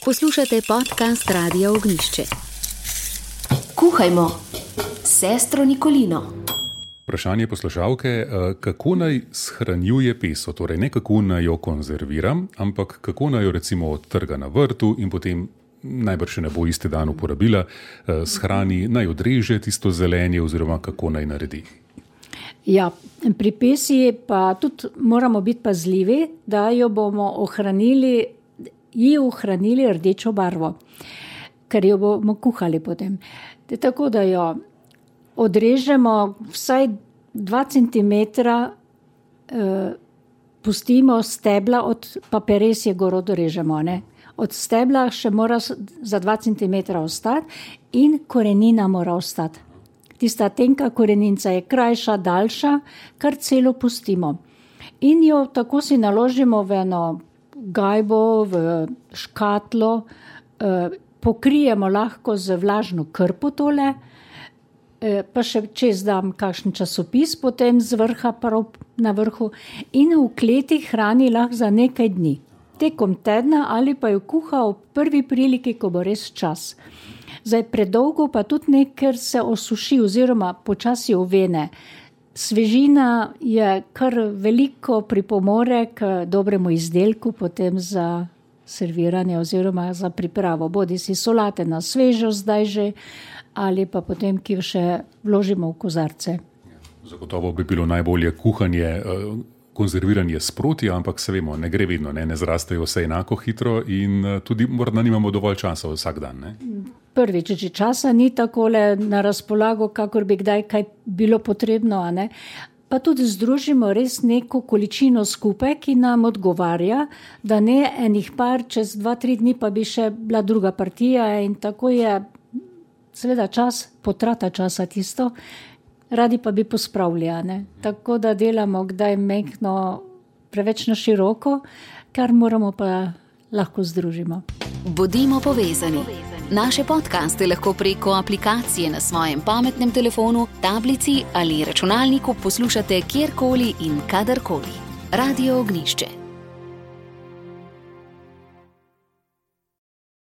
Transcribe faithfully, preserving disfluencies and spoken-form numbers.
Poslušate podcast Radia Ognjišče. Kuhajmo s sestro Nikolino. Vprašanje poslušalke, kako naj shranjuje peso, torej ne kako naj jo konzerviram, ampak kako naj jo recimo odtrga na vrtu in potem najbrž ne bo isti dan uporabila, shrani, naj odreže tisto zelenje oziroma kako naj naredi. Ja, pri pesi pa tudi moramo biti pazljivi, da jo bomo ohranili, ji ohranili rdečo barvo, ker jo bomo kuhali potem. Tako da jo odrežemo vsaj dva centimetra, eh, pustimo stebla, od, pa peres je gor odrežemo, ne. Od stebla še mora za dva centimetra ostati in korenina mora ostati. Tista tenka koreninca je krajša, daljša, kar celo pustimo. In jo tako si naložimo v eno gajbo, v škatlo, eh, pokrijemo lahko z vlažno krpo tole, eh, pa še čez dam kakšen časopis, potem z vrha prav na vrhu in v kleti hrani lahko za nekaj dni. Tekom tedna ali pa jo kuha v prvi priliki, ko bo res čas. Zdaj predolgo pa tudi ne, ker se osuši oziroma počasi ovene. Svežina je kar veliko pripomore k dobremu izdelku, potem za serviranje oziroma za pripravo. Bodi si solate na svežo zdaj že, ali pa potem, ki jo še vložimo v kozarce. Zagotovo bi bilo najbolje kuhanje, konzerviranje sproti, ampak se vemo, ne gre vedno, ne, ne zrastejo vse enako hitro in tudi morda nimamo dovolj časa vsak dan, ne? Prvič, če časa ni takole na razpolago, kakor bi kdaj kaj bilo potrebno, a ne? Pa tudi združimo res neko količino skupaj, ki nam odgovarja, da ne enih par, čez dva, tri dni pa bi še bila druga partija in tako je seveda čas, potrata časa tisto, radi pa bi pospravili, a ne? Tako da delamo kdaj mehko, preveč na široko, kar moramo pa lahko združimo. Bodimo povezani. Naše podcaste lahko preko aplikacije na svojem pametnem telefonu, tablici ali računalniku poslušate kjerkoli in kadarkoli. Radio Ognjišče.